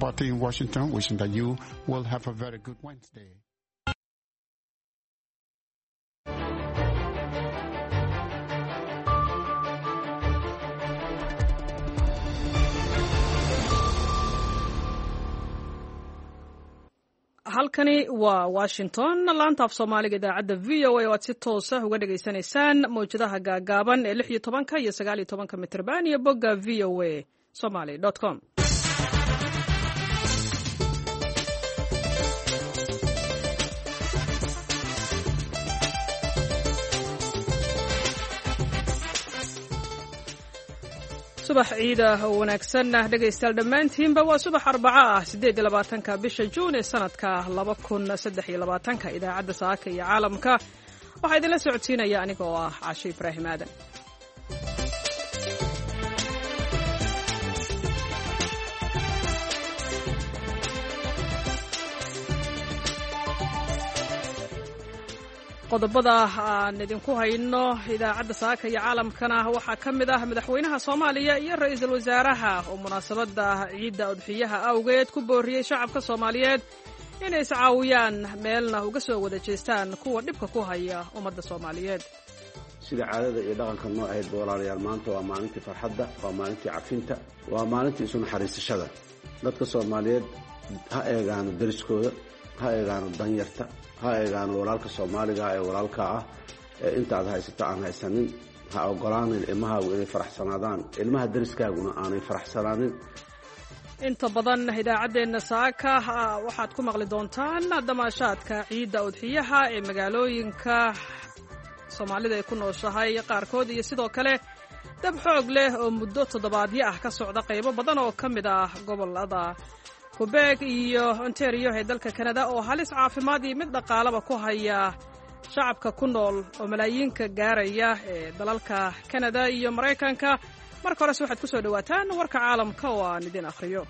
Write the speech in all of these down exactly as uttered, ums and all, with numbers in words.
Bati in Washington, wishing that you will have a very good Wednesday. Halkani waa Washington, laanta af Soomaaliga idaacadda V O A oo aad si toosa uga dhagaysanaysaan mawjadaha gaagaaban ee lix iyo tobanka iyo sagaal iyo tobanka mitrban iyo bogga V O A somaly com. Subax ciida oo wanaagsan dhegaystayaal dhammaantiinba. Waa subax Arbaco ah, siddeed iyo labaatanka bisha Juun ee sanadka laba kun saddex iyo labaatanka. Idaacadda saaka iyo caalamka waxaa idinla socodsiinaya aniga oo ah Caashe Ibraahim Aadan. Qodobada aan idinku hayno idaacadda saaka iyo caalamkana waxaa ka mid ah madaxweynaha Soomaaliya iyo ra-iisul wasaaraha oo munaasabadda ciidda udxiyaha awgeed ku booriyey shacabka Soomaaliyeed inay iscaawiyaan, meelna uga soo wada jeestaan kuwa dhibka ku haya ummadda Soomaaliyeed. Sida caadada iyo dhaqanka noo ahaydba, walaalayaal, maanta waa maalintii farxadda, waa maalintii cafinta, waa maalintii isu naxariisashada. Dadka Soomaaliyeed ha eegaano deriskooda, ha eegaano danyarta, ha eegaano walaalka Soomaaliga ee walaalka ah ee intaad haysato aan haysanin. Ha ogolaanin ilmahaagu inay faraxsanaadaan, ilmaha deriskaaguna aanay faraxsanaanin. Inta badan idaacaddeenna saaka waxaad ku maqli doontaan damaashaadka ciidda udxiyaha ee magaalooyinka Soomaalida ay ku nooshahay qaarkood, iyo sidoo kale dab xoog leh oo muddo toddobaadyo ah ka socda qaybo badan oo ka mid ah gobolada Qubeeg iyo Ontario ee dalka Kanada, oo halis caafimaad iyo mid dhaqaalaba ku haya shacabka ku nool oo malaayiinka gaaraya ee dalalka Kanada iyo Maraykanka. Marka horese waxaad ku soo dhowaataan warka caalamka oo aan idin akhriyo.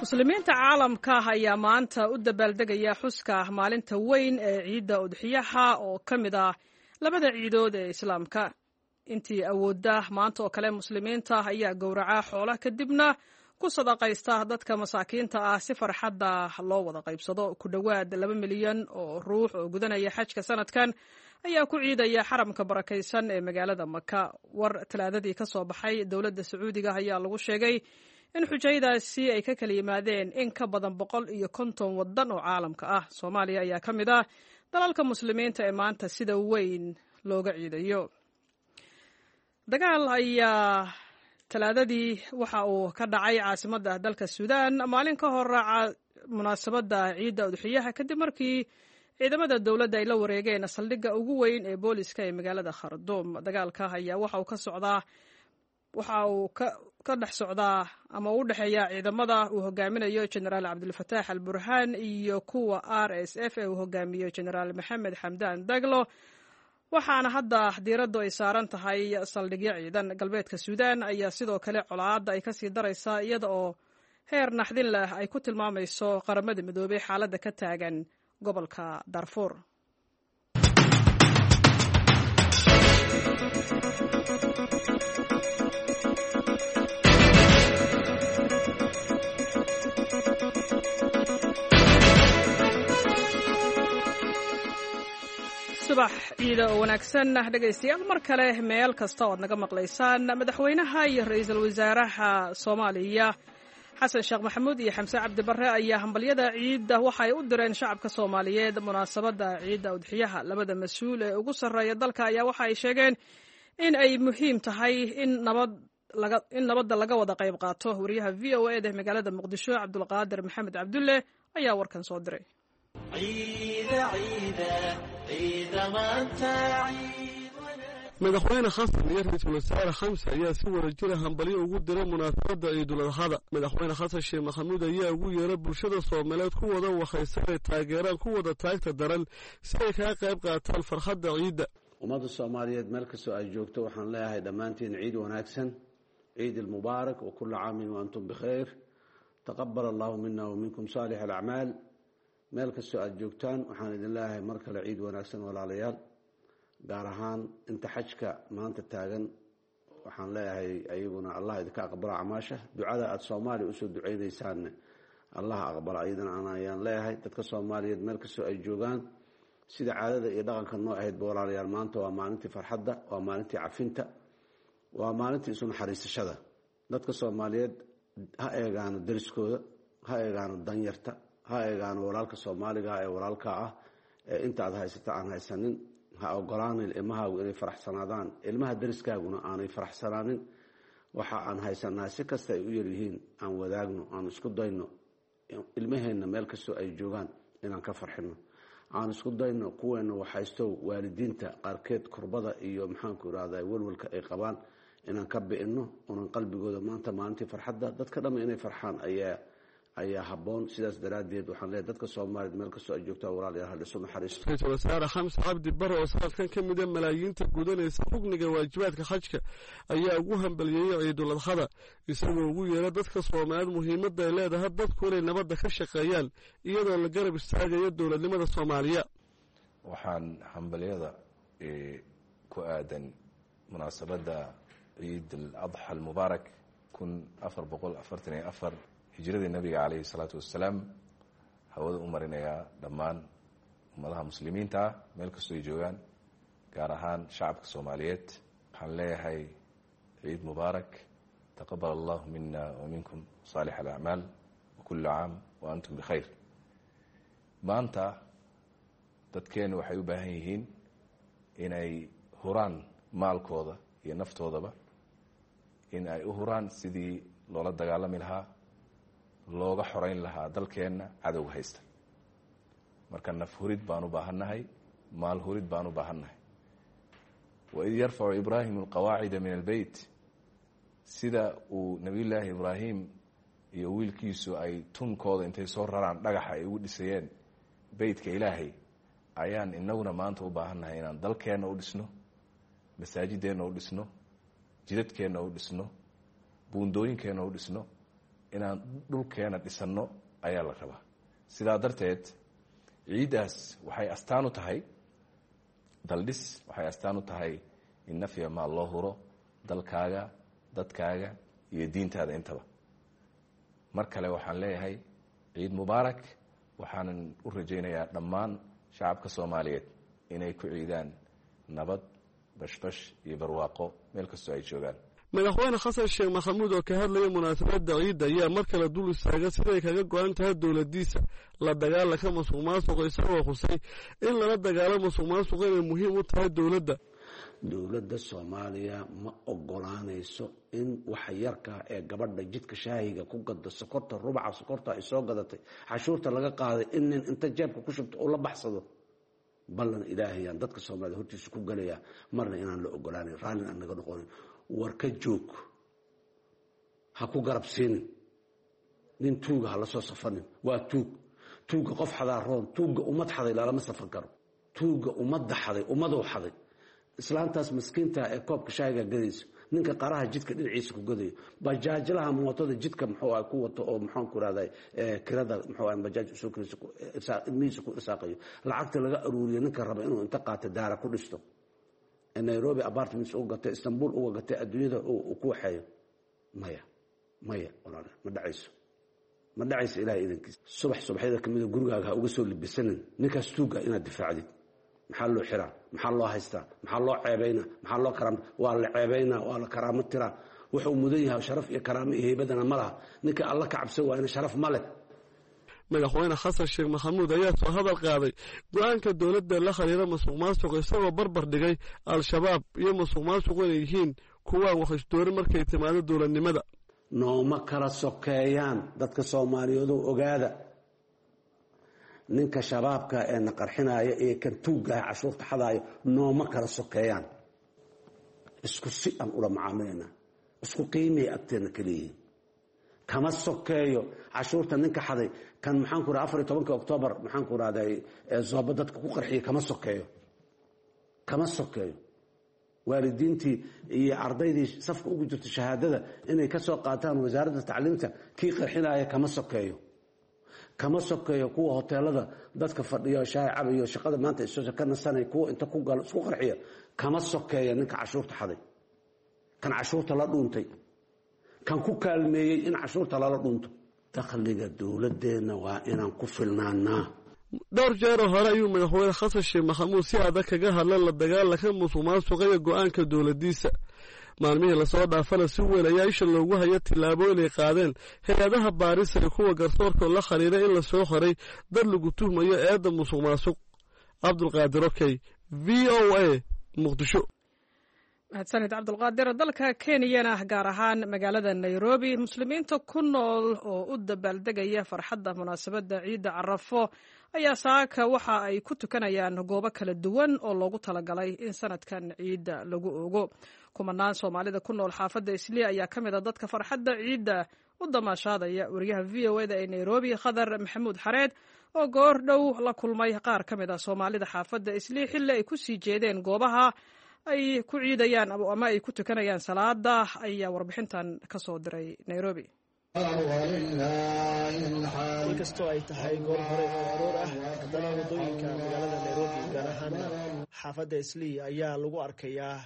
Muslimiinta caalamka ayaa maanta u dabaaldegaya xuska maalinta weyn ee ciidda udxiyaha oo ka mid ah labada ciidood ee Islaamka. Intii awoodda, maanta oo kale muslimiinta ayaa gowraca xoola, kadibna ku sadaqaysta dadka masaakiinta ah si farxadda loo wada qaybsado. Ku dhowaad laba milyan oo ruux oo gudanaya xajka sanadkan ayaa ku ciidaya xaramka barakaysan ee magaalada Maka. War Talaadadii ka soo baxay dowladda Sacuudiga ayaa lagu sheegay in xujaydaasi ay ka kala yimaadeen in ka badan boqol iyo konton waddan oo caalamka ah. Soomaaliya ayaa ka mid ah dalalka muslimiinta ee maanta sida weyn looga ciidayo. Dagaal ayaa Talaadadii waxa uu ka dhacay caasimadda dalka Suudaan maalin ka hor munaasabadda ciidda udxiyaha, kadib markii ciidamada dowladda ay la wareegeen saldhigga ugu weyn ee booliska ee magaalada Kharduum. Dagaalka ayaa waxa uu ka socdaa waxa uu ka dhex socdaa ama u dhexeeya ciidamada uu hogaaminayo Jenaraal Cabdulfataax al Burhaan iyo kuwa R S F ee uu hogaamiyo Jenaraal Maxamed Xamdaan Daglo, waxaana hadda diiraddu ay saaran tahay saldhigyo ciidan. Galbeedka Suudaan ayaa sidoo kale colaadda ay kasii daraysaa, iyada oo heer naxdin leh ay ku tilmaamayso Qaramada Midoobay xaaladda ka taagan gobolka Darfuur. Subax ciida oo wanaagsan dhegaystayaal mar kale, meel kasta oo aad naga maqlaysaan. Madaxweynaha iyo ra-iisul wasaaraha Soomaaliya, Xasan Sheekh Maxamuud iyo Xamse Cabdi Barre, ayaa hambalyada ciidda waxa ay u direen shacabka Soomaaliyeed munaasabadda ciidda udxiyaha. Labada mas-uul ee ugu sarreeya dalka ayaa waxa ay sheegeen in ay muhiim tahay in nabad in nabadda laga wada qayb qaato. Wariyaha V O A da magaalada Muqdisho, Cabdulqaadir Maxamed Cabdulle, ayaa warkan soo diray. Madaxweyne Xasan iyo ra-iisul wasaare Xamse ayaa si wada jira hambalyo ugu diray munaasabadda Ciidul Adxada. Madaxweyne Xasan Sheekh Maxamuud ayaa ugu yeeray bulshada Soomaaliyeed ku wada waxaysan ay taageeraan ku wada taagta daran si ay kaga qayb qaataan farxadda ciidda. Ummadda Soomaaliyeed meel kastoo ay joogto waxaan leeyahay dhammaantiin ciid wanaagsan, ciid ilmubaarak, wa kulla caamin wa antum bikhayr. Taqabal allahu mina wa minkum saalix alacmaal. Meel kastoo aada joogtaan waxaan idin leeyahay mar kale ciid wanaagsan walaalayaal. Gaar ahaan inta xajka maanta taagan waxaan leeyahay ayaguna allah idinka aqbala acmaasha. Ducada aada soomaaliya usoo duceynaysaanne allah aqbala iyadana ayaan leeyahay. Dadka soomaaliyeed meel kastoo ay joogaan sida caadada iyo dhaqanka noo ahaydba walaalayaal, maanta waa maalintii farxadda, waa maalintii cafinta, waa maalintii isu naxariisashada. Dadka soomaaliyeed ha eegaano deriskooda, ha eegaano danyarta, ha eegaano walaalka soomaaliga ee walaalka ah ee inta aad haysata aan haysanin. Ha ogolaanin ilmahaagu inay faraxsanaadaan, ilmaha deriskaaguna aanay faraxsanaanin. Waxa aan haysanaa si kasta ay u yaryihiin aan wadaagno, aan isku dayno ilmaheenna meel kastoo ay joogaan inaan ka farxino, aan isku dayno kuweena waxhaysto waalidiinta qaarkeed kurbada iyo maxaanku irahda welwelka ay qabaan inaan ka bi'ino, unan qalbigooda maanta maalintii farxadda dadka dhamma inay farxaan ayaa ayaa habboon. Sidaas daraaddeed waxaan leeyahay dadka soomaaliyeed meel kastoo ay joogtaan walaalayaal hal isu naxariisto. Ra-iisul wasaare Xamse Cabdi Bare oo sanadkan ka mid a malaayiinta gudanaysa rugniga waajibaadka xajka ayaa ugu hambaliyeeyey ciidul adxada, isagoo ugu yeera dadka soomaaliyeed muhiimadda ay leedahay dadku inay nabadda ka shaqeeyaan iyadoo la garab istaagayo dowladnimada Soomaaliya. Waxaan hambaliyada ku aadan munaasabadda ciid al adxa almubaarak kun afar boqol afartan iyo afar hijradii nabiga calayhi salaatu wassalaam hawada u marinayaa dhammaan ummadaha muslimiinta ah meel kastoo ay joogaan, gaar ahaan shacabka soomaaliyeed. Waxaan leeyahay ciid mubaarak, taqabal allahu mina wa minkum saalix alacmaal, wa kullu caam wa antum bikhayr. Maanta dadkeennu waxay u baahan yihiin inay huraan maalkooda iyo naftoodaba, in ay u huraan sidii loola dagaalami lahaa, looga xoreyn lahaa dalkeenna cadowga haysta. Marka naf hurid baan u baahannahay, maal hurid baan u baahannahay. Waid yarfacu ibraahimu alqawaacida min albeyt, sida uu nebiyullaahi ibraahim iyo wiilkiisu ay tunkooda intay soo raraan dhagaxa ay ugu dhisayeen beytka ilaahay, ayaan inaguna maanta u baahannahay inaan dalkeenna u dhisno, masaajideenna u dhisno, jidadkeenna u dhisno, buundooyinkeenna u dhisno, inaan dhulkeena dhisanno ayaa la rabaa. Sidaa darteed ciiddaas waxay astaan u tahay daldhis, waxay astaan u tahay in nafya maal loo huro dalkaaga, dadkaaga iyo diintaada intaba. Mar kale waxaan leeyahay ciid mubaarak. Waxaanan u rajaynayaa dhammaan shacabka soomaaliyeed inay ku ciidaan nabad, bashbash iyo barwaaqo meel kastoo ay joogaan. Madaxweyne Xasan Sheekh Maxamuud oo ka hadlaya munaasabadda ciidda ayaa mar kale dul istaaga siday kaga go-an tahay dowladdiisa la dagaalanka musuq maasuqa, isagoo xusay in lala dagaalo musuq maasuqa inay muhiim u tahay dowladda. Dowladda Soomaaliya ma ogolaanayso in waxa yarkaa ee gabadha jidka shaahiga ku gado sokorta, rubaca sokorta ay soo gadatay, cashuurta laga qaaday, in nin inta jeebka ku shubto uu la baxsado. Ballan ilaahayaan dadka soomaaliyed hortiisa ku galayaa marna inaan la ogolaanayn, raallin aan naga noqonin. War ka joog, ha ku garab siinin nin tuuga, ha la soo safanin. Waa tuug, tuugga qof xadaa roon, tuugga ummad xaday lalama safan karo. Tuugga ummadda xaday, ummaduu xaday. Islaantaas maskiinta ee koobka shaahiga gadayso, ninka qaraha jidka dhinaciisa ku gadayo, bajaajlaha mootada jidka muxuu ah ku wato oo maxaan ku rahday kirada muxuu ah bajaaj usoo kirayso ilmihiisa ku irsaaqayo, lacagta laga aruuriyo ninka raba inuu inta qaato daara ku dhisto, Nairobi apartments uga gatay, Istanbul uga gatay, adduunyada uu ku waxeeyo. Maya, maya walaal, ma dhacayso, ma dhacayso ilaahay idankiisa. Subax subaxyada kamida gurigaaga ha uga soo libisanin ninkaas tuuga inaad difaacdid. Maxaa loo xiraa? Maxaa loo haystaa? Maxaa loo ceebaynaa? Maxaa loo karaam? Waa la ceebaynaa, waa la karaamo tiraa. Wuxuu mudan yahay sharaf iyo karaamo iyo heybadana ma laha. Ninka alla ka cabsan waayna sharaf ma leh. Madaxweyne Xasan Sheekh Maxamuud ayaa soo hadal qaaday go-aanka dowladda la xiriira musuq maasuq, isagoo barbar dhigay Al-Shabaab iyo musuq maasuqu inay yihiin kuwaan wax isdoorin markay timaado dowladnimada. Nooma kala sokeeyaan dadka soomaaliyeedu, ogaada. Ninka shabaabka ee na qarxinaya iyo kan tuuggaha cashuurta xadaayo nooma kala sokeeyaan. Isku si aan ula macaamilaynaa, isku qiimaya agteenna kaliyihiin. Kama sokeeyo cashuurta ninka xaday kan maxaan ku raha afar iyo tobanka oktoobar maxaan ku rahday zooba dadka ku qarxiya, kama sokeeyo, kama sokeeyo. Waalidiintii iyo ardaydii safka ugu jirta shahaadada inay ka soo qaataan wasaaradda tacliinta, kii qarxinaya kama sokeeyo, kama sokeeyo kuwa hoteelada dadka fadhiyo shaay cabayo, shaqada maanta iso ka nasanay, kuwa inta ku galo isku qarxiya kama sokeeya ninka cashuurta xaday, kan cashuurta la dhuuntay, kan ku kaalmeeyey in cashuurta lala dhuunto. Dakhliga dowladeenna waa inaan ku filnaanaa. Dhowr jeeroo hore ayuu madaxweyne Xasan Sheekh Maxamuud si adag kaga hadla la dagaalanka musuqmaasuqa iyo go-aanka dowladdiisa. Maalmihii lasoo dhaafana si weyn ayaa isha loogu haya tillaabooyin ay qaadeen hay-adaha baarisa iyo kuwa garsoorkoo la xiriira in lasoo qoray dad lagu tuhmayo eedda musuq maasuq. Cabdulqaadir Okey, V O A, Muqdisho. Mahadsanid, Cabdulqaadir. Dalka Kenyana, gaar ahaan magaalada Nairobi, muslimiinta ku nool oo u dabaaldegaya farxadda munaasabadda ciidda Carafo ayaa saaka waxa ay ku tukanayaan goobo kala duwan oo loogu talagalay in sanadkan ciidda lagu ogo. Kumanaan Soomaalida ku nool xaafadda Islii ayaa ka mid a dadka farxadda ciidda u damaashaadaya. Wariyaha V O eda ee Nairobi, Khadar Maxamuud Xareed, oo goor dhow la kulmay qaar ka mid a Soomaalida xaafadda Islii xilli ay ku sii jeedeen goobaha ay ku ciidayaan ama ay ku tukanayaan salaada, ayaa warbixintan ka soo diray Nairobi. Inkastoo ay tahay goor hore oo aroor ah, haddana waddooyinka magaalada Nairobi, gaar ahaana xaafadda Islii, ayaa lagu arkayaa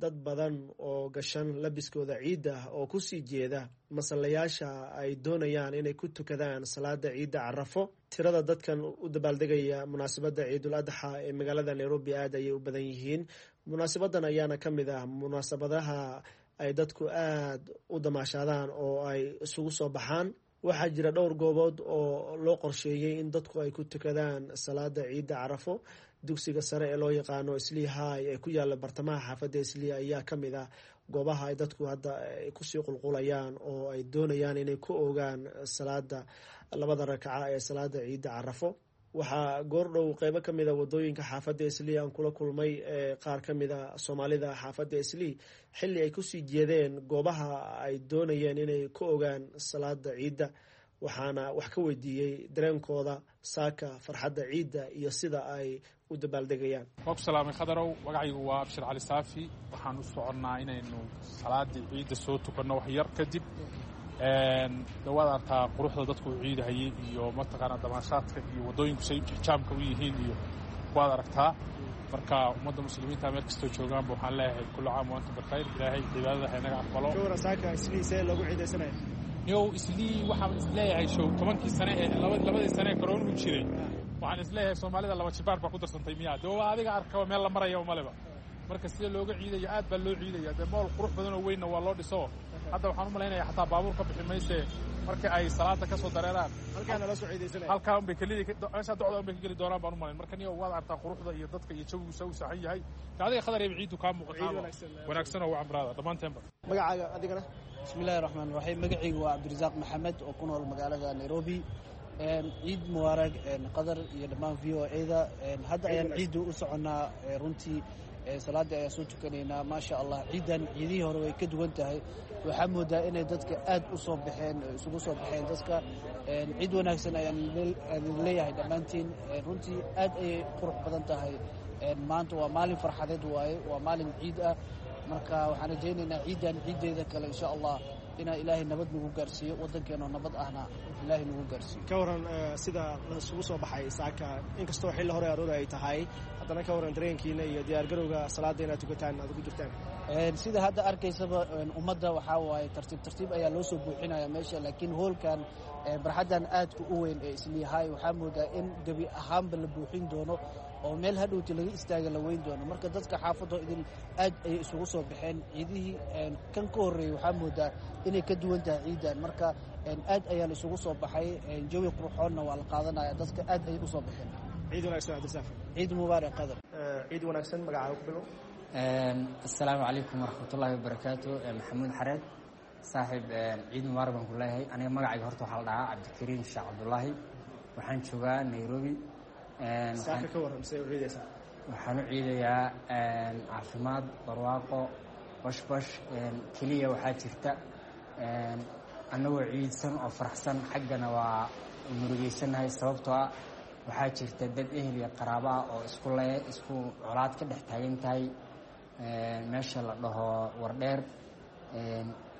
dad badan oo gashan labiskooda ciidda oo kusii jeeda masallayaasha ay doonayaan inay ku tukadaan salaada ciidda Carafo. Tirada dadkan u dabaaldegaya munaasabadda Ciidul Adxa ee magaalada Nairobi aad ayay u badan yihiin. Munaasabadan ayaana ka mid ah munaasabadaha ay dadku aad u damaashaadaan oo ay isugu soo baxaan. Waxaa jira dhowr goobood oo loo qorsheeyey in dadku ay ku tukadaan salaada ciidda Carafo. Dugsiga sare ee loo yaqaano Islii High ee ku yaala bartamaha xaafadda Islii ayaa ka mid ah goobaha ay dadku hadda kusii qulqulayaan oo ay doonayaan inay ku ogaan salaada labada rakaca ee salaada ciidda Carafo. Waxaa goordhow qeybo ka mid a wadooyinka xaafadda Islii aan kula kulmay qaar ka mid a Soomaalida xaafadda Islii xilli ay kusii jeedeen goobaha ay doonayeen inay ku ogaan salaada ciidda, waxaana wax ka weydiiyey dareenkooda saaka farxadda ciidda iyo sida ay u dabaaldegayaan. Waa ku salaamay, Khadarow. Magacaygu waa Abshir Cali Saafi. Waxaan u soconnaa inaynu salaadii ciidda soo tukanno wax yar kadib. Dhawaad artaa quruxda dadku u ciidahayay iyo mataqaanaa damaashaadka iyo waddooyinku say jaamka u yihiin iyo waad aragtaa. Marka ummadda muslimiinta meel kastoo joogaanba waxaan leeyahay kullu caam wa antum bikhayr. Ilaahay cibaadada ha inaga aqbalo. Yow, Islii waxaan isleeyahay show tobankii sane ee labadii sane ee koroonuhu jiray, waxaan isleeyahay Soomaalida laba jibaar baa ku darsantay miyaa? Dee waa adiga arkaba, meel la maraya maleba. Marka sida looga ciidayo, aad baa loo ciidaya. Dee mool qurux badan oo weynna waa loo dhiso. Hadda waxaan u malaynaya xataa baabuur ka bixi mayse marka ay salaada ka soo dareeraan. Halkaa unbay kelidii meeshaa docda unbay ka geli doonaan baan u malayn. Marka niyo waad artaa quruxda iyo dadka iyo jawigiisa u saxan yahay. Adiga, Khadar, yaba ciiddu kaa muuqataaba wanaagsan oo wacamraada dhammaanteenba. Magacaaga adigana? Bismillahi raxmaan raxiim. Magacaygu waa Cabdirasaaq Maxamed oo ku nool magaalada Nairobi. Ciid mubaarag, Qadar iyo dhammaan V O A-da. Hadda ayaan ciiddu u soconnaa. Runtii salaadii ayaan soo tukanaynaa. Maasha Allah, ciiddan ciidihii hore way ka duwan tahay. Waxaa moodaa inay dadka aad u soo baxeen, isugu soo baxeen dadka. Ciid wanaagsan ayaan idin leeyahay dhammaantiin. Runtii aad ayay qurux badan tahay. Maanta waa maalin farxadeed waaye, waa maalin ciid ah. Marka waxaan rajaynaynaa ciiddan ciiddeeda kale, insha Allah, inaa Ilaahay nabad nagu gaarsiiyo, waddankeenoo nabad ahna Ilaahay nagu gaarsiiyo. Ka waran sida laisugu soo baxay saaka, inkastoo xilli hore aroor ay tahay, haddana ka waran dareenkiina iyo diyaargarowga salaada inaad tukataan aad ugu jirtaan? Sida hadda arkaysaba, ummadda waxaa waaye tartiib tartiib ayaa loo soo buuxinaya meesha, laakiin hoolkan, barxaddan aadka u weyn ee Islii High, waxaa moodaa in gebi ahaanba la buuxin doono oo meel hadhowti laga istaaga la weyn doono. Marka dadka xaafadoo idin aad ayay isugu soo baxeen. Ciidihii kan ka horreeyey waxaa moodaa inay ka duwan tahay ciiddan. Marka aad ayaa la isugu soo baxay, jawi qurxoonna waa la qaadanaya, dadka aad ayay usoo baxeen. Ciid wanaagsan, Cabdirasaaq. Ciid mubaarak, Qadar. Ciid wanaagsan. Magacaaga ku bilow. Asalaamu calaykum waraxmatullaahi wabarakaatu. Maxamuud Xareed, saaxiib, ciid mubaarak baan ku leeyahay. Aniga magacayga horta waxaa la dhahaa Cabdikariim Sheekh Cabdullaahi. Waxaan joogaa Nairobi. Saaka ka warram, see u ciidaysaa? Waxaan u ciidayaa caafimaad, barwaaqo, bashbash. Keliya waxaa jirta annagoo ciidsan oo faraxsan, xaggana waa murugeysanahay, sababtoo ah waxaa jirta dad ehel iyo qaraabo ah oo isku le isku colaad ka dhex taagan tahay. Meesha la dhaho Wardheer,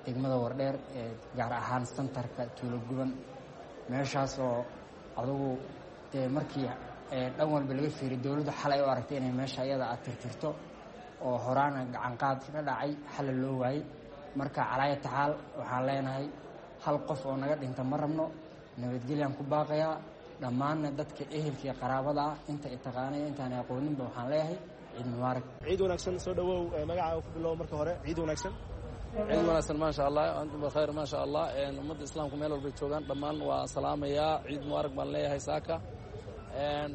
degmada Wardheer, gaar ahaan santarka Tuulo Guban, meeshaas oo adugu dee markii dhan walba laga fiiriy dowladdu xalay u aragtay inay meesha iyada aad tirtirto oo horaana gacanqaad ka dhacay, xalla loo waayey. Marka calaaya taxaal waxaan leenahay hal qof oo naga dhinta ma rabno, nabadgelyaan ku baaqayaa. Dhammaanna dadka ehelka iyo qaraabada ah, inta i taqaanaya, intaana aqooninba, waxaan leeyahay ciid mubaarak. Ciid wanaagsan. Soo dhawow, magacaaga ku bilow marka hore. Ciid wanaagsan. Ciid wanaagsan, maasha Allah. Antum bikhayr, maasha Allah. Ummadda islaamku meel walbay joogaan dhammaan waa salaamayaa. Ciid mubaarak baan leeyahay saaka.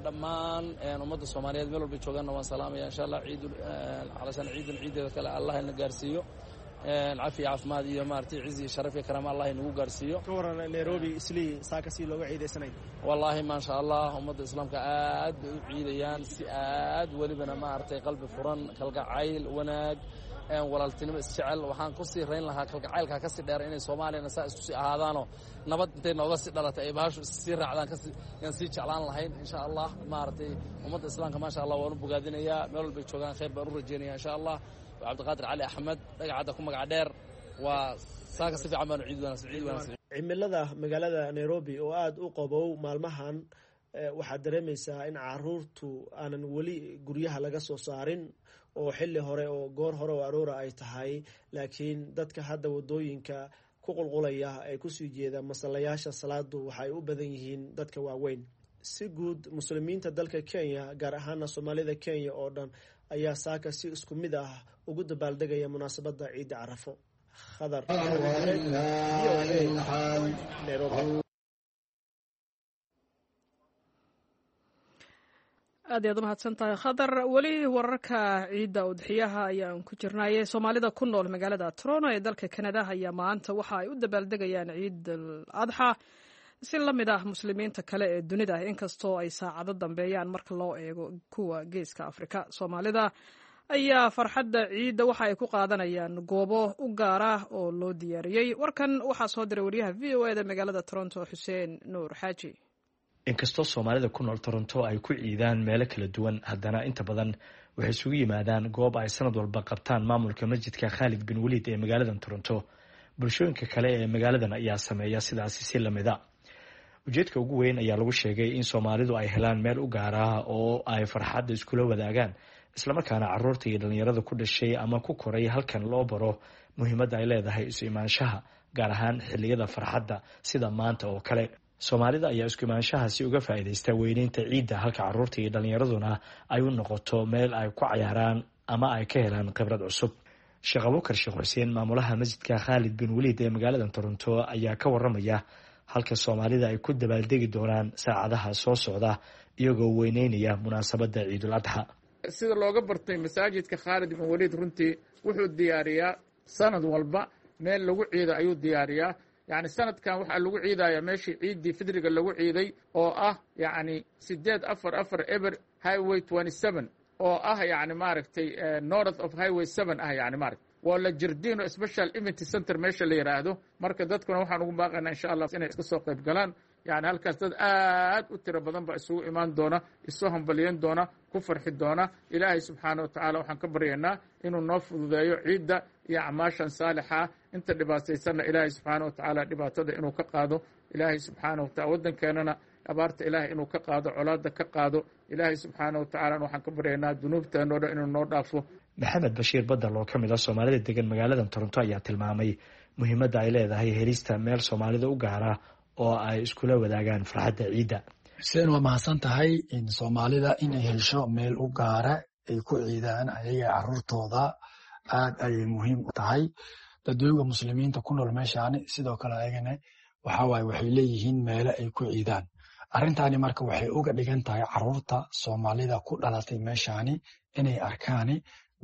Dhammaan ummadda Soomaaliyeed meel walbay joogaanna waan salaamaya, insha Allah. Ciid calashaan ciidan ciideeda kale Allah ina gaarsiiyo cafi, caafimaad iyo maaragtay cizi iyo sharaf iyo karaama Allah inagu gaarsiiyo. Ka waran Nairobi Islii saaka si looga ciidaysanay? Wallaahi maasha Allah, ummadda islaamka aad bay u ciidayaan, si aad welibana maaragtay qalbi furan, kalgacayl, wanaag, walaaltinimo, isjecel. Waxaan kusii rayn lahaa kalgacaylkaa kasii dheer inay Soomaaliyana saa isku sii ahaadaanoo nabad intay nooga sii dhalatay ay bahashu issii raacdaan, kasi yaan sii jeclaan lahayn, insha Allah. Maaragtay ummadda islaamka maasha Allah waan u bogaadinayaa, meel walbay joogaan khayr baan u rajeynaya, insha Allah. Cabdiqaadir Cali Axmed, Dhagacadda ku magaca dheer. Waa saaka si fiican baanu ciid wanaagsan, ciid wanaagsan. Cimilada magaalada Nairobi oo aada u qabow maalmahan, waxaad dareemaysaa in caruurtu aanan weli guryaha laga soo saarin oo xilli hore oo goor hore oo aroora ay tahay, laakiin dadka hadda wadooyinka ku qulqulaya ee kusii jeeda masallayaasha salaadu waxay u badan yihiin dadka waaweyn. Si guud muslimiinta dalka Kenya, gaar ahaana Soomaalida Kenya oo dhan, ayaa saaka si isku mid ah ugu dabaaldegaya munaasabadda ciidda Carafo. Khadar, V O A, Nairobi. Aad iyaad u mahadsan tahay, Khadar. Weli wararka ciidda udxiyaha ayaan ku jirnaaye. Soomaalida ku nool magaalada Toronto ee dalka Kanada ayaa maanta waxa ay u dabaaldegayaan Ciid al Adxa si la mid ah muslimiinta kale ee dunida, inkastoo ay saacado dambeeyaan marka loo eego kuwa Geeska Afrika. Soomaalida ayaa farxadda ciidda waxa ay ku qaadanayaan goobo u gaar ah oo loo diyaariyey. Warkan waxaa soo diray wariyaha V O E da magaalada Toronto, Xuseen Nuur Xaaji. Inkastoo Soomaalida ku nool Toronto ay ku ciidaan meelo kala duwan, haddana inta badan waxay isugu yimaadaan goob ay sanad walba qabtaan maamulka masjidka Khaalid bin Waliid ee magaalada Toronto. Bulshooyinka kale ee magaaladan ayaa sameeya sidaasi si lamida. Ujeedka ugu weyn ayaa lagu sheegay in Soomaalidu ay helaan meel u gaar ah oo ay farxadda iskula wadaagaan, islamarkaana caruurta iyo dhalinyarada ku dhashay ama ku koray halkan loo baro muhiimadda ay leedahay isu imaanshaha, gaar ahaan xilliyada farxadda sida maanta oo kale. Soomaalida ayaa isku imaanshahaasi uga faa'iidaysta weyneynta ciidda, halka caruurta iyo dhalinyaraduna ay u noqoto meel ay ku cayaaraan ama ay ka helaan khibrad cusub. Sheekh Abuukar Sheekh Xuseen, maamulaha masjidka Khaalid bin Waliid ee magaalada Toronto, ayaa ka waramaya halka Soomaalida ay ku dabaaldegi doonaan saacadaha soo socda, iyagoo weyneynaya munaasabadda Ciidul Adxa. Sida looga bartay masaajidka Khaalid bin Waliid, runtii wuxuu diyaariyaa sanad walba meel lagu ciido ayuu diyaariyaa. Yacni sanadkan waxaa lagu ciidayaa meeshii ciiddii fidriga lagu ciiday, oo ah yacni sideed afar afar eber Highway twenty seven, oo ah yacni maaragtay north of Highway seven ah, yacni maaragtay waa la Jardino Special Event Center meesha la yidhaahdo. Marka dadkuna waxaan ugu baaqaynaa, insha Allah, inay iska soo qayb galaan. Yani halkaas dad aad u tiro badan baa isugu imaan doona, isu hambalyan doona, ku farxi doona. Ilaahay subxaana wa tacaala waxaan ka baryaynaa inuu noo fududeeyo ciidda iyo acmaashan saalixa. Inta dhibaataysanna Ilaahay subxaana wa tacaala dhibaatada inuu ka qaado. Ilaahay subxaana wa tacala waddankeenana abaarta Ilaahay inuu ka qaado, colaadda ka qaado. Ilaahay subxaana wa tacalana waxaan ka baryaynaa dunuubteena o dhan inuu noo dhaafo. Maxamed Bashiir Badal oo ka mid ah Soomaalida degan magaalada Toronto ayaa tilmaamay muhiimadda ay leedahay helista meel Soomaalida u gaara oo ay iskula wadaagaan farxadda ciidda. Xuseen, waa mahadsan tahay. Soomaalida inay hesho meel u gaara ay ku ciidaan ayaga caruurtooda aad ayay muhiim u tahay. Dadweyga muslimiinta ku nool meeshaani sidoo kale ayagana waxawaaye waxay leeyihiin meelo ay ku ciidaan. Arrintaani marka waxay uga dhigan tahay caruurta Soomaalida ku dhalatay meeshaani inay arkaani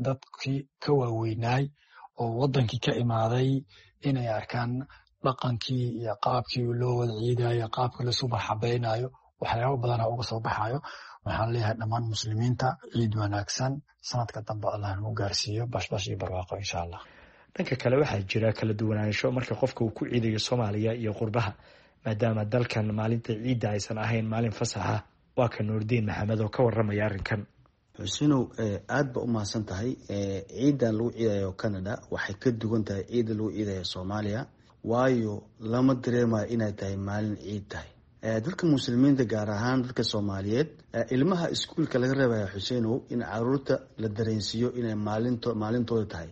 dadkii ka waaweynaay oo wadankii ka imaaday, inay arkaan dhaqankii iyo qaabkii loo wada ciidayo, qaabka laisu marxabaynayo, waxyaabo badana uga soo baxayo. Waxaan leeyahay dhammaan muslimiinta ciid wanaagsan. Sanadka dambe Allah nagu gaarsiiyo bashbash iyo barwaaqo, insha Allah. Dhanka kale, waxaa jira kala duwanaansho marka qofka uu ku ciidayo Soomaaliya iyo qurbaha, maadaama dalkan maalinta ciidda aysan ahayn maalin fasaxa. Waa ka Nuurdiin Maxamed oo ka waramaya arrinkan. Xusinow, aad ba u mahadsan tahay. Ciidan lagu ciidayo Canada waxay ka duwan tahay ciidda lagu ciidayo Soomaaliya, waayo lama dareemayo inay tahay maalin ciid tahay. Dadka muslimiinta, gaar ahaan dadka Soomaaliyeed, ilmaha iskuulka laga reebaya, Xusenow, in caruurta la dareensiiyo inay maalinto maalintooda tahay,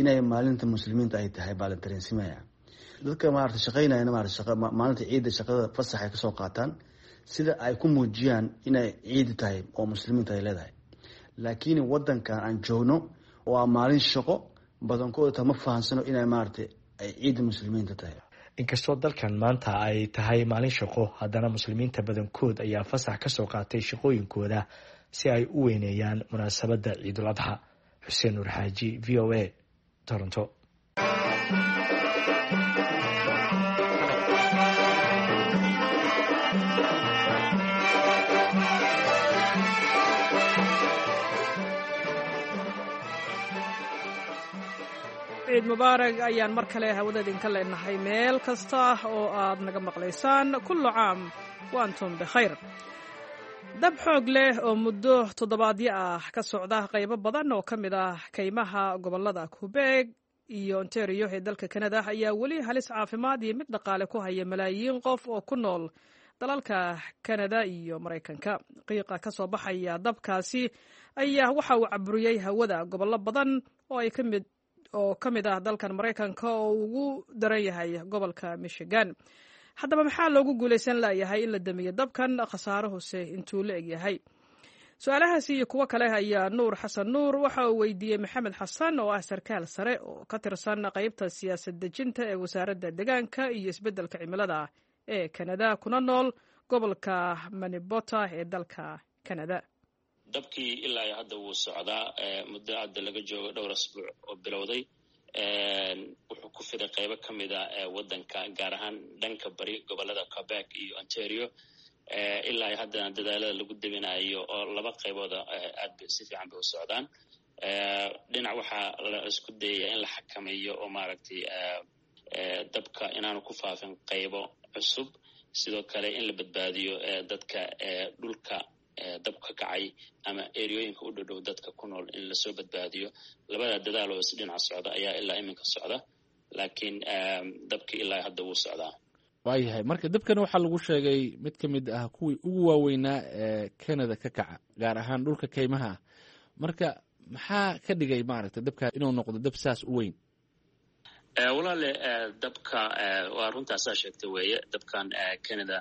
inay maalinta muslimiinta ay tahay baa la dareensimaya. Dadka maarata shaqeynayana maarata maalinta ciidda shaqada fasax ay kasoo qaataan sida ay ku muujiyaan inay ciidi tahay oo muslimiinta ay leedahay. Laakiin wadankan aan joogno waa maalin shaqo, badankooda ta ma fahansano inay maarata ay ciidda muslimiinta tahay. Inkastoo dalkan maanta ay tahay maalin shaqo, haddana muslimiinta badankood ayaa fasax ka soo qaatay shaqooyinkooda si ay u weyneeyaan munaasabadda Ciidul Adxa. Xuseen Nuur Xaaji, V O A, Toronto. Ciid mubaarag ayaan mar kale hawada idinka leenahay meel kasta oo aad naga maqlaysaan. Kullu caam wa antum bikhayr. Dab xoog leh oo muddo toddobaadyo ah ka socda qaybo badan oo ka mid ah kaymaha gobollada Quebec iyo Ontario ee dalka Kanada ayaa weli halis caafimaad iyo mid dhaqaale ku haya malaayiin qof oo ku nool dalalka Kanada iyo Maraykanka. Qiiqa ka soo baxaya dabkaasi ayaa waxa uu caburiyey hawada gobollo badan oo ay ka mid oo ka mid ah dalkan Maraykanka oo ugu daran yahay gobolka Michigan. Haddaba maxaa loogu guulaysan layahay in la damiyo dabkan, khasaaruhuse intuu la egyahay? Su-aalahaasi iyo kuwo kale ayaa Nuur Xasan Nuur waxa uu weydiiyey Maxamed Xasan oo ah sarkaal sare oo ka tirsan qeybta siyaasad dejinta ee wasaaradda deegaanka iyo isbeddelka cimilada ee Kanada, kuna nool gobolka Manibota ee dalka Kanada. Dabkii ilaa iyo hadda wuu socdaa, muddo hadda laga joogo dhowr asbuuc oo bilowday. Wuxuu ku fiday qaybo ka mid a waddanka, gaar ahaan dhanka bari gobolada Quebec iyo Ontario. Ilaa iyo haddana dadaalada lagu debinayo oo laba qaybooda aad ba si fiican bay u socdaan. Dhinac waxaa la isku dayaya in la xakameeyo oo maaragtay dabka inaanu ku faafin qaybo cusub, sidoo kale in la badbaadiyo dadka dhulka dabka kacay ama eriyooyinka u dhodhow dadka ku nool in lasoo badbaadiyo. Labada dadaal oo is dhinaca socda ayaa ilaa iminka socda, laakiin dabkii ilaa hadda wuu socdaa. Waayahay, marka dabkan waxaa lagu sheegay mid ka mid ah kuwii ugu waaweynaa ee Canada ka kaca, gaar ahaan dhulka kaymaha ah. Marka maxaa ka dhigay maaragtay dabka inuu noqdo dab saas u weyn? Walaale, dabka waa runtaasaa sheegtay weeye. Dabkan Canada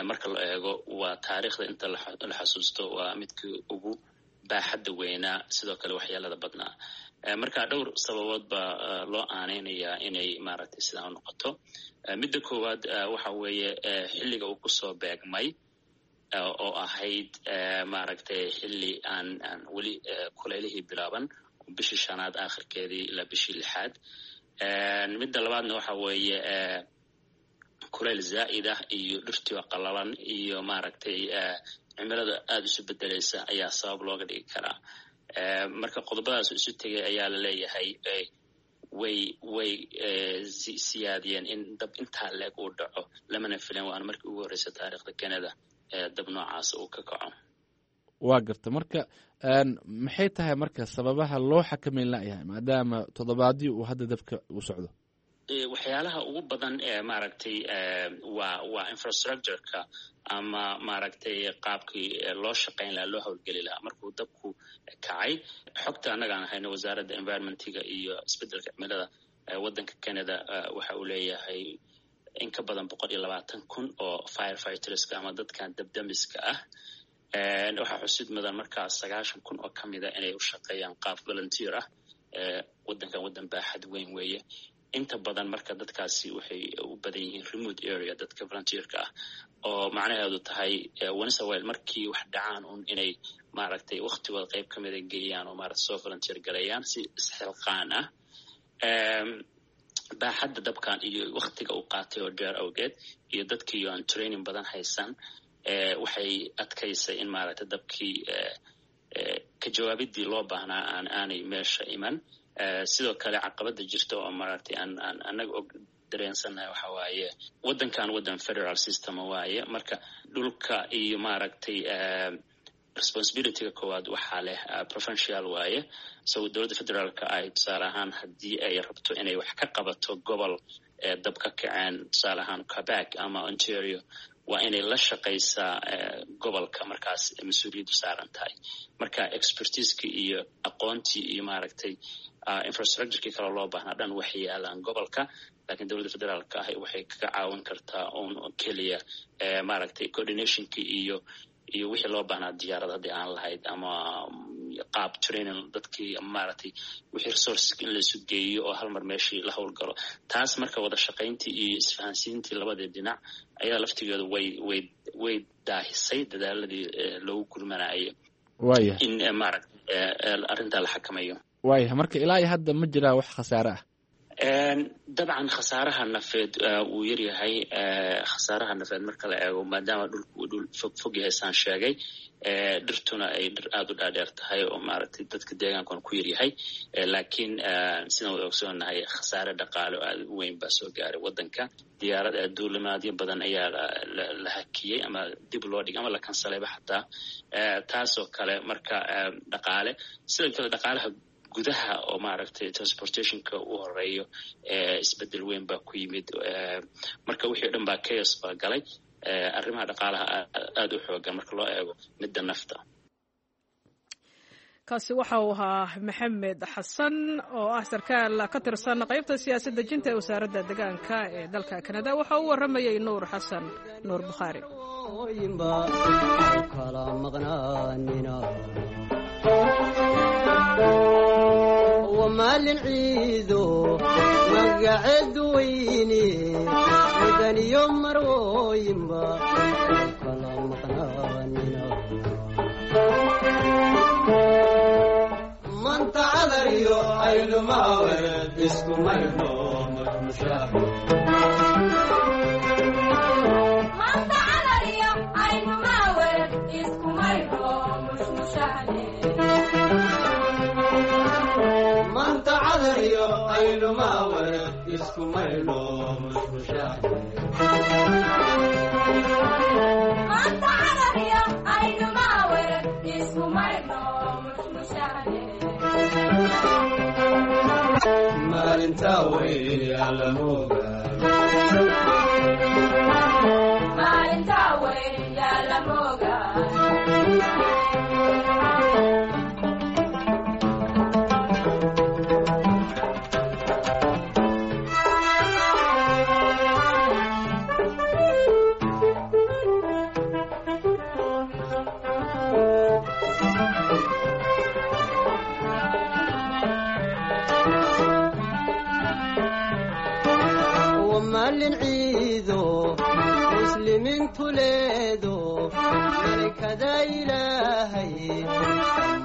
marka la eego waa taariikhda inta la xasuusto waa midkii ugu baaxadda weynaa, sidoo kale waxyeelada badnaa. Marka dhowr sababood baa loo aaneynayaa inay maaragtay sidaa u noqoto. Midda koowaad waxa weeye xilliga uu kusoo beegmay oo ahayd maaragtay xilli aan aan weli kuleylihii bilaaban, bishii shanaad aakhirkeedii ilaa bishii lixaad. Midda labaadna waxa weeye kuleyl zaa'id ah iyo dhirtii oo qalalan iyo maaragtay cimilada aada isu bedelaysa ayaa sabab looga dhigi karaa. Marka qodobadaas isu tegay ayaa la leeyahay way way siyaadiyeen in dab intaa leeg uu dhaco, lamana filan, waana markii ugu horreysa taariikhda Canada dab noocaas uu ka kaco. Waa garta. Marka maxay tahay marka sababaha loo xakameyn layahay maadaama toddobaadii uu hadda dabka uu socdo? Waxyaalaha ugu badan ee maaragtay waa waa infrastructureka ama maaragtay qaabkii loo shaqayn lahaa, loo howlgeli lahaa markuu dabku kacay. Xogta annagaan hayno, wasaaradda environmentiga iyo isbeddelka cimilada waddanka Canada waxa uu leeyahay in ka badan boqol iyo labaatan kun oo firefighterska ama dadkan dabdamiska ah. Waxaa xusid mudan markaa sagaashan kun oo ka mida inay u shaqeeyaan qaab volunteer ah. Waddankan waddan baaxad weyn weeye. Inta badan marka dadkaasi waxay u badan yihiin remote area, dadka volunteerka ah, oo macnaheedu tahay onesawel markii wax dhacaan un inay maaragtay waktigooda qayb ka mida geeyaan oo maaragtay soo volunteer gareeyaan si isxilqaan ah. Baaxadda dabkan iyo waktiga uu qaatay oo dheer awgeed iyo dadkii aan training badan haysan waxay adkaysay in maaragtay dabkii ka jawaabidii loo baahnaa aan aanay meesha iman. Sidoo kale caqabada jirta oo maaragtay aan aan annaga og dareensannahay waxa waaye waddankan waddan federal system waaye. Marka dhulka iyo maaragtay Responsibilityga koowaad waxaa leh provincial waaye. So dowladda federaalka ay tusaale ahaan haddii ay rabto inay wax ka qabato gobol dab ka kaceen, tusaale ahaan Quebec ama Ontario, waa inay la shaqaysaa gobolka markaas mas-uuliyaddu saaran tahay. Marka expertiiskii iyo aqoontii iyo maaragtay infrastructurekii kale loo baahnaa dhan waxay yaalaan gobolka, laakiin dowladda federaalka ah waxay kaga caawin kartaa un keliya maaragtay coordinationkii iyo iyo wixii loo baahnaa, diyaarad haddii aan lahayd ama qaab training dadkii, maaragtay wixii resources in laisu geeyo oo hal mar meeshii la howlgalo. Taas marka wada shaqayntii iyo isfahansiintii labadii dhinac ayaa laftigeedu way way way daahisay dadaaladii loogu gurmanaayo Waya in maaragtay arrintaa la xakamayo. Waaya, marka ilaa iyo hadda ma jiraa wax khasaare ah? Dabcan khasaaraha nafeed wuu yaryahay. Khasaaraha nafeed marka la eego, maadaama dhulku uu dhul fog fog yahay saan sheegay, dhirtuna ay dhir aada u dhaadheer tahay oo maaragtay dadka deegaankuna ku yaryahay, laakiin sidaan wada ogsoonahay khasaare dhaqaale oo aada u weyn baa soo gaaray waddanka. Diyaarad duulimaadyo badan ayaa la hakiyey ama dib loo dhigay ama la kansalayba xataa, taasoo kale marka dhaqaale. Sidoo kale dhaqaalaha gudaha oo maaragtay transportationka u horeeyo isbedel weyn baa ku yimid. Marka wixii o dhan baa chaos baa galay. Arrimaha dhaqaalaha aada u xoogan marka loo eego midda nafta. Kaasi waxa uu ahaa Maxamed Xasan oo ah sarkaal ka tirsan qaybta siyaasad dejinta ee wasaaradda deegaanka ee dalka Kanada. Waxa uu warramayay Nuur Xasan Nuur Bukhaari. Maalin ciido magaceedu weyne mudaniyo marwooyinba kala maqnaanina. Manta cadariyo aylumawer iskumayno mushmushax. Manta cadariyo aylumawer iskumayno mushmushax. Maalinta weyn yalamoga. Maalinta weyn yalamoga. Maalin ciido muslimiintu leedo malikada Ilaahay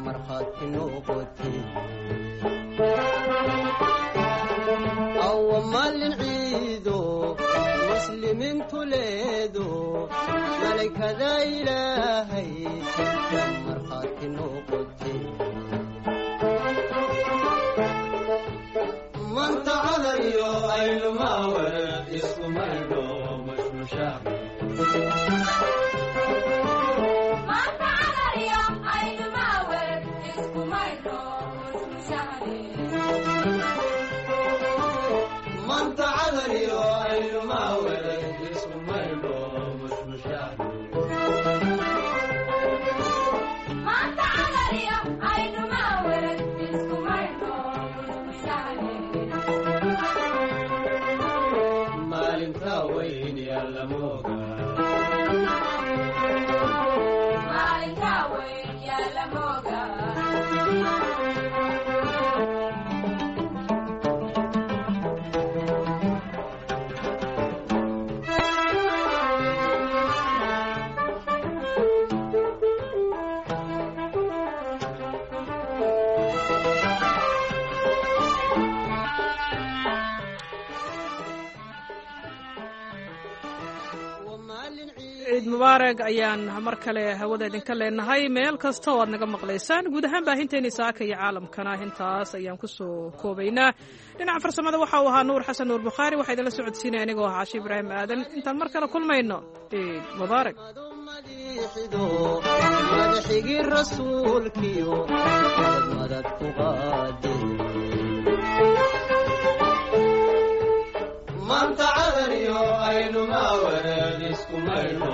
markhaati noqote. Awa maalin ciido muslimiintu leedo malikada Ilaahay markhaati noqote. Manta cadariyo aylumawer iskumayno mushmushax. Manta cadariyo aylumawer iskumayno mushmushax. Maalinta weyn yalamoga. Maalinta weyn yalamoga. Ciid mubaarag ayaan mar kale hawada idinka leenahay meel kasta oo aad naga maqlaysaan. Guud ahaan baahinteeni saaka iyo caalamkana intaas ayaan kusoo koobaynaa. Dhinaca farsamada waxa uu ahaa Nuur Xasan Nuur Bukhaari. Waxaa idinla socodsiinaya anigoo ah Caashi Ibraahim Aadan. Intaan mar kale kulmayno, ciid mubaarak. Madiixido madaxigii rasuulkiyo madad madad ku qaade. Maanta cadariyo aynu maawareed isku maydho.